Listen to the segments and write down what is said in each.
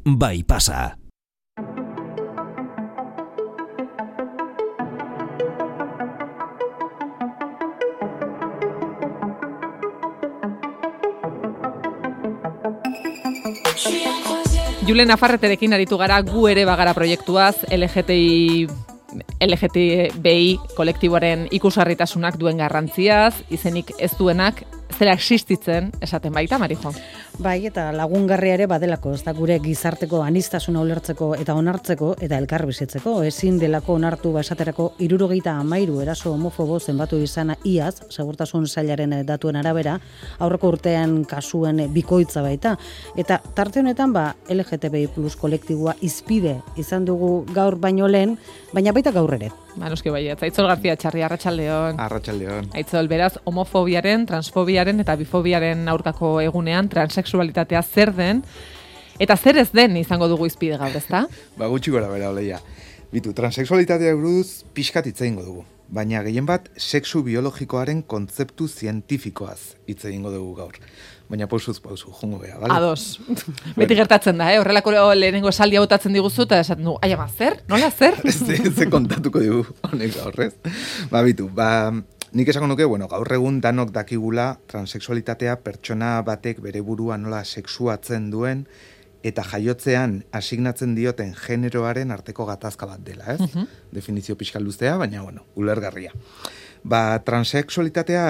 bai pasa. Julen Nafarreterekin aritu gara gu ere bagara proiektuaz, LGTBI kolektiboaren ikusgarritasunak duen garrantziaz, izenik ez duenak, zera existitzen esaten baita, Marijo? Bai, eta lagungarria ere badelako, ez da gure gizarteko anistasuna ulertzeko eta onartzeko eta elkar bizitzeko. Ezin delako onartu esaterako 73 eraso homofobo zenbatu izana iaz, segurtasun sailaren datuen arabera, aurreko urtean kasuen bikoitza baita. Eta tarte honetan LGTBI plus kolektiboa izpide izan dugu gaur baino lehen, baina baita gaur ere. Noski baiet, Aitzol García Txarri, arratsaldeon. Arratsaldeon. Aitzol, beraz, homofobiaren, transfobiaren eta bifobiaren aurkako egunean transexualitatea zer den, eta zer ez den izango dugu izpide gaur, ezta? Gutxi gora bera, oleia. Bitu, transexualitatea buruz pixkat hitz egingo dugu, baina gehien bat sexu biologikoaren kontzeptu zientifikoaz hitz egingo dugu gaur. Baina pausuz, jungo beha, bale? Ados. Beti gertatzen da, horrelako lehenengo esaldia botatzen diguzu, eta esaten du, aiama, zer? Nola, zer? Ze kontatuko digu, honek gaurrez. Bitu, nik esango nuke, gaur egun danok dakigula transexualitatea pertsona batek bere burua nola sexuatzen duen, eta jaiotzean asignatzen dioten generoaren arteko gatazka bat dela, ez? Definizio pixka luzea, baina, ulergarria. Transexualitatea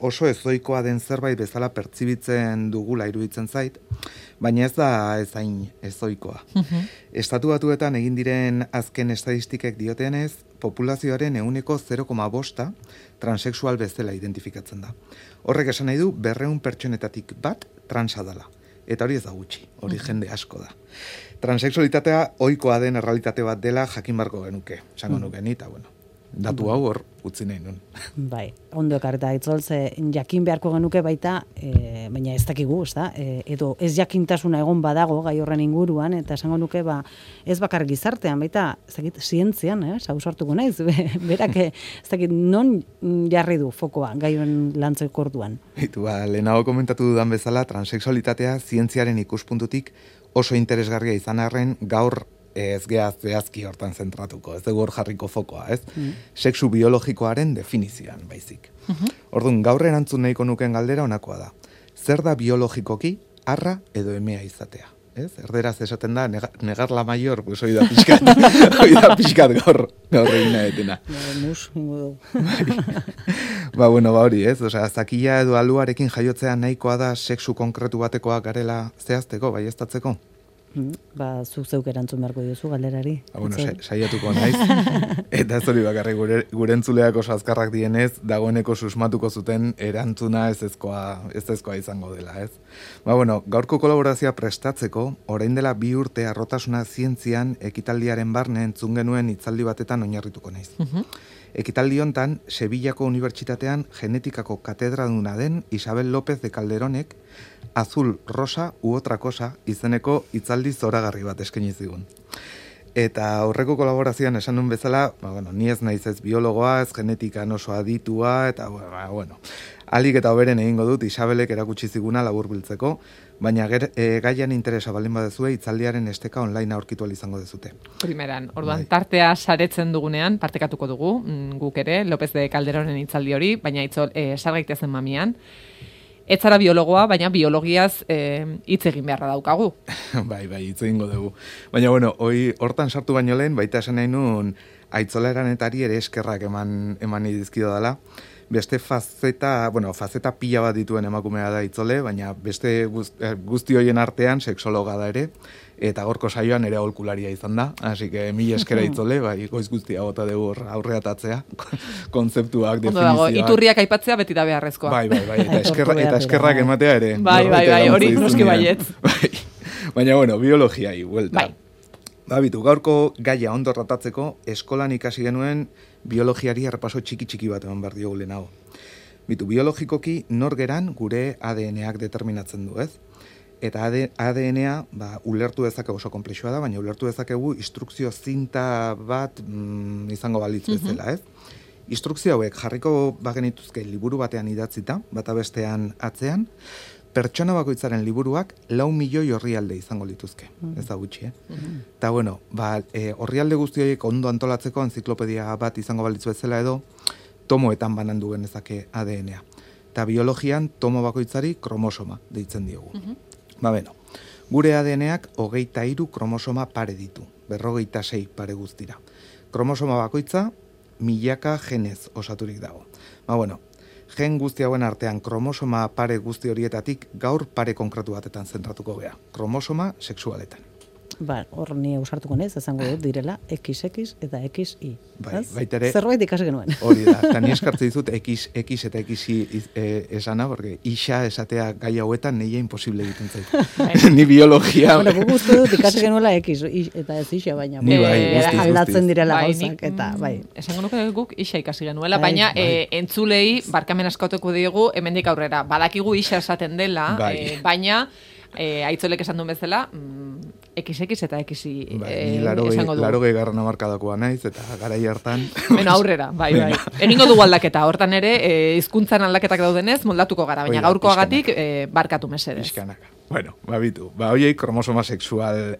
oso ezoikoa den zerbait bezala pertsibitzen dugula iruditzen zait, baina ez da hain ezoikoa. Estatu Batuetan egin diren azken estadistikek diotenez, populazioaren 0,5% transexual bezala identifikatzen da. Horrek esan nahi du 200 pertsonetatik bat transa dela. Eta hori ez da gutxi, hori jende asko da. Transexualitatea ohikoa den errealitate bat dela jakin barko genuke, esango nuke ni, eta datu hau hor utzi nahi nun. Bai, ondo ekarreta Aitzoltze jakin beharko genuke baita, baina ez dakigu, ez da? Edo ez jakintasuna egon badago gai horren inguruan, eta esango nuke ez bakar gizartean, baita ez dakit zientzian, ausartuko naiz, berak ez dakit non jarri du fokoa gai horren lantzeko orduan. Lehenago komentatu dudan bezala, transexualitatea zientziaren ikuspuntutik oso interesgarria izan arren gaur ez geaz zehazki hortan zentratuko, ez dugu hor jarriko fokoa, ez? Sexu biologikoaren definizioan, baizik. Orduan, gaur erantzun nahiko nuken galdera honakoa da. Zer da biologikoki arra edo emea izatea? Ez? Erderaz esaten da, negar la mayor, pues hoi da pixkat gaur egin nahetena. Mus, ingo du. Hori, ez? Zakila edo aluarekin jaiotzea nahikoa da sexu konkretu batekoa garela zehazteko, baieztatzeko? Zuk zeuk erantzun beharko diozu galderari. Saiatuko naiz. Eta ez hori bakarrik gure entzuleak oso azkarrak dienez, dagoeneko susmatuko zuten erantzuna ez ezkoa izango dela, ez? Gaurko kolaborazioa prestatzeko, orain dela 2 urte arrotasuna zientzian ekitaldiaren barne entzun genuen hitzaldi batetan oinarrituko naiz. Ekitaldi hontan, Sevillako Unibertsitatean genetikako katedraduna den Isabel López de Calderonek Azul, Rosa u otra cosa izeneko hitzaldi zoragarri bat eskaini zigun. Eta horreko kolaborazioan esan nun bezala, ni ez naiz ez biologoa, ez genetikan oso aditua, eta alik eta hoberen egingo dut Isabelek erakutsi ziguna laburbiltzeko, baina gaian interesa baldin badezue hitzaldiaren esteka online aurkitu izango dezute. Primeran, orduan tartea saretzen dugunean, partekatuko dugu, guk ere, López de Calderonen hitzaldi hori, baina sar gaitezen mamian. Ez zara biologoa, baina biologiaz hitz egin beharra daukagu. Bai, hitz egingo dugu. Baina, hortan sartu baino lehen, baita esan nahi nun, Aitzola Eranetari ere eskerrak eman dizkido dela. Beste fazeta pila bat dituen emakumea da Aitzole, baina beste guzti hoien artean sexologa da ere, eta gorko saioan ere aholkularia izan da, hasi que mila eskera Aitzole, goiz guztia bota dugu aurreatatzea, kontzeptuak, definizioak. Iturriak aipatzea beti da beharrezkoa. Bai, eta eskerrak ematea ere. Bai, hori noski baiet. Baina, biologiai, buelta. Bitu, gaurko gaia ondo tratatzeko, eskolan ikasi genuen biologiari errepaso txiki bat eman behar diogu lehenago. Bitu, biologikoki nor geran gure ADN-ak determinatzen du, ez? Eta ADN-a ulertu dezakegu oso konplexua da, baina ulertu dezakegu instrukzio zinta bat izango balitz bezala, ez? Instrukzio hauek jarriko bagenituzke liburu batean idatzita, bata bestean atzean, pertsona bakoitzaren liburuak 4 milioi orrialde izango lituzke. Ez da gutxi, Eta bueno, orrialde guzti horiek ondo antolatzeko enziklopedia bat izango balitzu bezala edo, tomoetan banandu genezake ADN-a. Eta biologian tomo bakoitzari kromosoma deitzen diogu. Gure ADN-ak 23 kromosoma pare ditu, 56 pare guztira. Kromosoma bakoitza milaka genez osaturik dago. Gen guzti hauen artean kromosoma pare guzti horietatik gaur pare konkretu batetan zentratuko gea. Kromosoma sexualetan. Hor ni ausartuko nez, esango dut direla XX eta XY. Baitere, zerbait ikasi genuen. Hori da, eta ni eskartzen dizut X eta XY esana, porque isa esatea gai hauetan neia imposible egiten zait. Ni biologia... Guk uste dut ikasi genuela X eta ez isa, baina aldatzen direla gauzak, eta bai. Esango nuke guk isa ikasi genuela, baina entzulei barkamen askatuko diegu hemendik aurrera. Badakigu isa esaten dela, baina... aitzolek esan duen bezala, XX eta XY esango dugu. 80 hamarkadakoa naiz, eta garai hartan... aurrera, bai. Egingo dugu aldaketa, hortan ere, hizkuntzan aldaketak daudenez, moldatuko gara, baina gaurkoagatik barkatu mesedez. Iskanaka. Bitu. Hoiei kromosoma sexual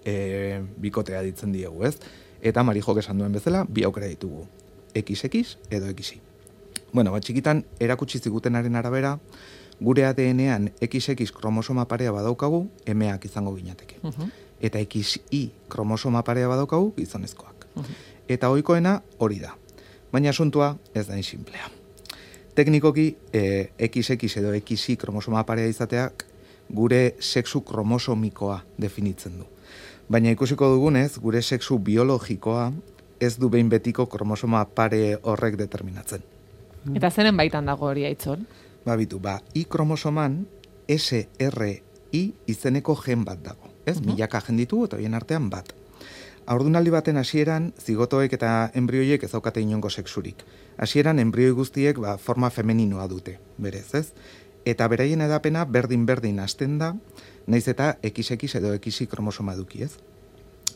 bikotea ditzen diegu, ez? Eta Marijok esan duen bezala, bi aukera ditugu. XX edo XY. Txikitan, erakutsi zigutenaren arabera, gure ADN-ean XX kromosoma parea badaukagu, emeak izango ginateke. Eta XY kromosoma parea badaukagu, gizonezkoak. Eta ohikoena hori da. Baina asuntua ez da insimplea. Teknikoki, XX edo XY kromosoma parea izateak gure sexu kromosomikoa definitzen du. Baina ikusiko dugunez, gure sexu biologikoa ez du behin betiko kromosoma pare horrek determinatzen. Eta zeren baitan dago hori aitzon? Y kromosoman SRI izeneko gen bat dago. Ez, milaka gen ditugu eta horien artean bat. Haurdunaldi baten hasieran, zigotoek eta embrioiek ez daukate inongo sexurik. Hasieran embrioi guztiek forma femeninoa dute, berez, ez? Eta beraien edapena berdin hasten da, naiz eta XX edo XY kromosoma eduki, ez?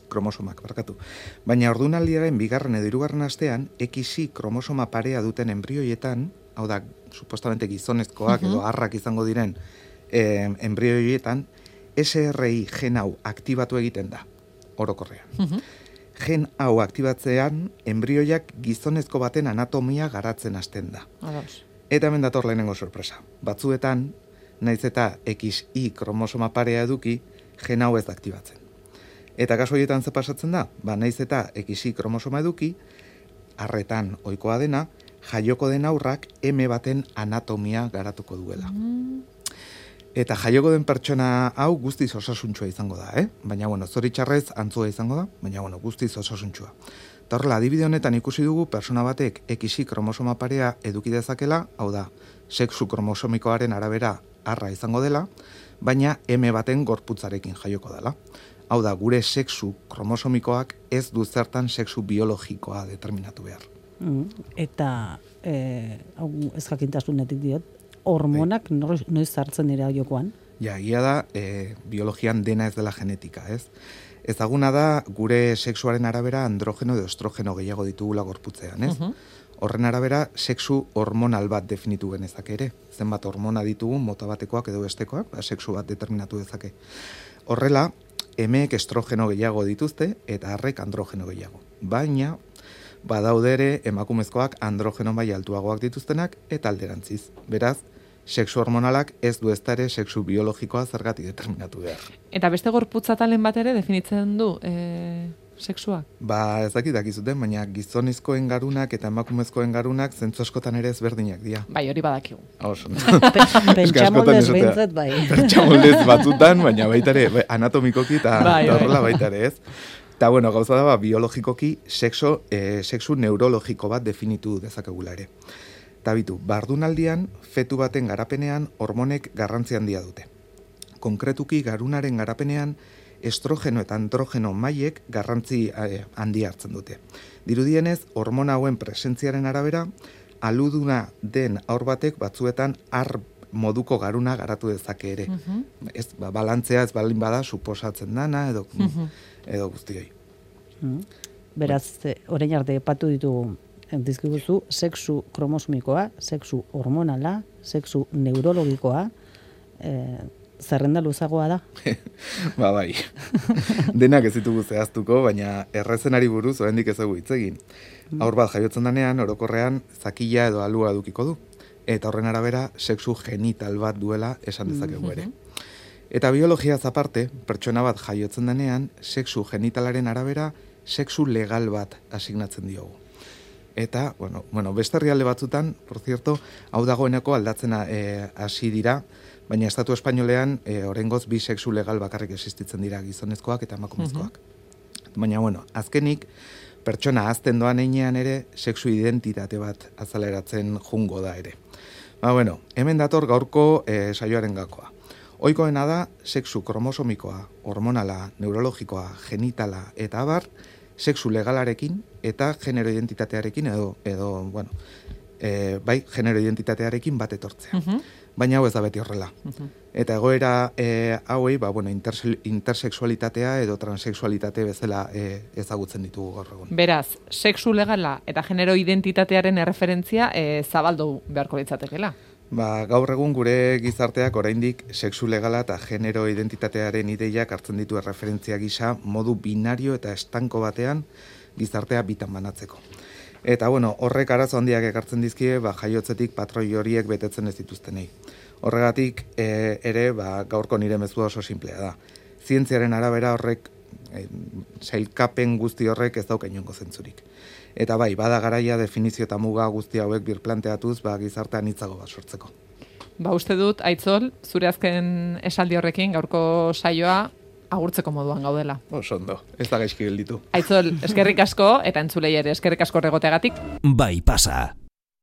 Kromosomak, barkatu. Baina haurdunaldiaren bigarren edo hirugarren astean, XY kromosoma parea duten embrioietan, hau da, supostamente gizonezkoak edo arrak izango diren embrioietan, SRI gen hau aktibatu egiten da, orokorrean. Gen hau aktibatzean, embrioiak gizonezko baten anatomia garatzen hasten da. Eta hemen dator lehenengo sorpresa. Batzuetan, naiz eta XY kromosoma parea eduki, gen hau ez da aktibatzen. Eta kasu horietan ze pasatzen da? Naiz eta XY kromosoma eduki, arretan ohikoa dena, jaioko den aurrak M baten anatomia garatuko duela. Eta jaioko den pertsona hau guztiz osasuntsua izango da, Baina, zoritxarrez antzua izango da, baina, guztiz osasuntsua. Eta horrela, adibide honetan ikusi dugu persona batek XY kromosoma parea eduki dezakela, hau da, sexu kromosomikoaren arabera arra izango dela, baina M baten gorputzarekin jaioko dela. Hau da, gure sexu kromosomikoak ez du zertan sexu biologikoa determinatu behar. Eta, ez jakintasunetik diot, hormonak noiz sartzen dira jokoan? Ia da, biologian dena ez dela genetika, ez? Ezaguna da, gure sexuaren arabera androgeno edo estrogeno gehiago ditugula gorputzean, ez? Horren arabera, sexu hormonal bat definitu genezake ere. Zenbat hormona ditugu, mota batekoak edo bestekoak, sexu bat determinatu dezake. Horrela, emeek estrogeno gehiago dituzte eta arrek androgeno gehiago. Baina, badaude ere emakumezkoak androgeno maila altuagoak dituztenak eta alderantziz. Beraz, sexu hormonalak ez du ezta ere sexu biologikoa zergatik determinatu behar. Eta beste gorputza talen bat ere definitzen du sexua? Ez dakizuten, baina gizonezkoen garunak eta emakumezkoen garunak zentzu askotan ere ezberdinak dira. Bai, hori badakigu. Pentsamoldez behintzat bai. Pentsamoldez batzutan, baina baita ere, anatomikoki eta horrela baita ere, ez? Eta, gauza da, biologikoki sexu neurologiko bat definitu dezakegula ere. Eta bitu, bardunaldian, fetu baten garapenean hormonek garrantzi handia dute. Konkretuki, garunaren garapenean, estrogeno eta androgeno mailek garrantzi handia hartzen dute. Dirudienez, hormona hauen presentziaren arabera, aluduna den haur batek batzuetan moduko garuna garatu dezake ere. Ez, balantzea ez balin bada suposatzen dana edo guztioi. Beraz, orain arte epatu ditugu dizkiguzu sexu kromosomikoa, sexu hormonala, sexu neurologikoa, zerrenda luzagoa da. Ba bai, denak ez ditugu zehaztuko, baina errezenari buruz oraindik ez dugu hitz egin. Haur bat jaiotzen denean, orokorrean, zakila edo alua edukiko du. Eta horren arabera, sexu genital bat duela esan dezakegu ere. Eta biologiaz aparte, pertsona bat jaiotzen denean, sexu genitalaren arabera, sexu legal bat asignatzen diogu. Eta, beste herrialde batzutan, por cierto, hau dagoeneko aldatzen hasi dira, baina estatu espainolean oraingoz bi sexu legal bakarrik existitzen dira, gizonezkoak eta emakumezkoak. Baina, azkenik, pertsona azten doan einean ere, sexu identitate bat azaleratzen jungo da ere. Hemen dator gaurko saioaren gakoa. Ohikoena da, sexu kromosomikoa, hormonala, neurologikoa, genitala eta abar, sexu legalarekin eta genero identitatearekin genero identitatearekin bat etortzea. Baina hau ez da beti horrela. Eta egoera hauei, intersexualitatea edo transexualitate bezala ezagutzen ditugu gaur egun. Beraz, sexu legala eta genero identitatearen erreferentzia zabaldu beharko litzatekeela. Gaur egun gure gizarteak oraindik sexu legala eta genero identitatearen ideiak hartzen ditu erreferentzia gisa modu binario eta estanko batean gizartea bitan banatzeko. Eta horrek arazo handiak ekartzen dizkie jaiotzetik patroi horiek betetzen ez dituztenei. Horregatik ere gaurko nire mezua oso simplea da. Zientziaren arabera horrek sailkapen guzti horrek ez dauka inongo zentzurik. Eta bada garaia definizio eta muga guzti hauek birplanteatuz gizartean hitzago bat sortzeko. Uste dut, Aitzol, zure azken esaldi horrekin gaurko saioa agurtzeko moduan gaudela. Ondo, ez da gaizki gelditu. Aitzol, eskerrik asko, eta entzulei ere eskerrik asko regoteagatik. Bai pasa.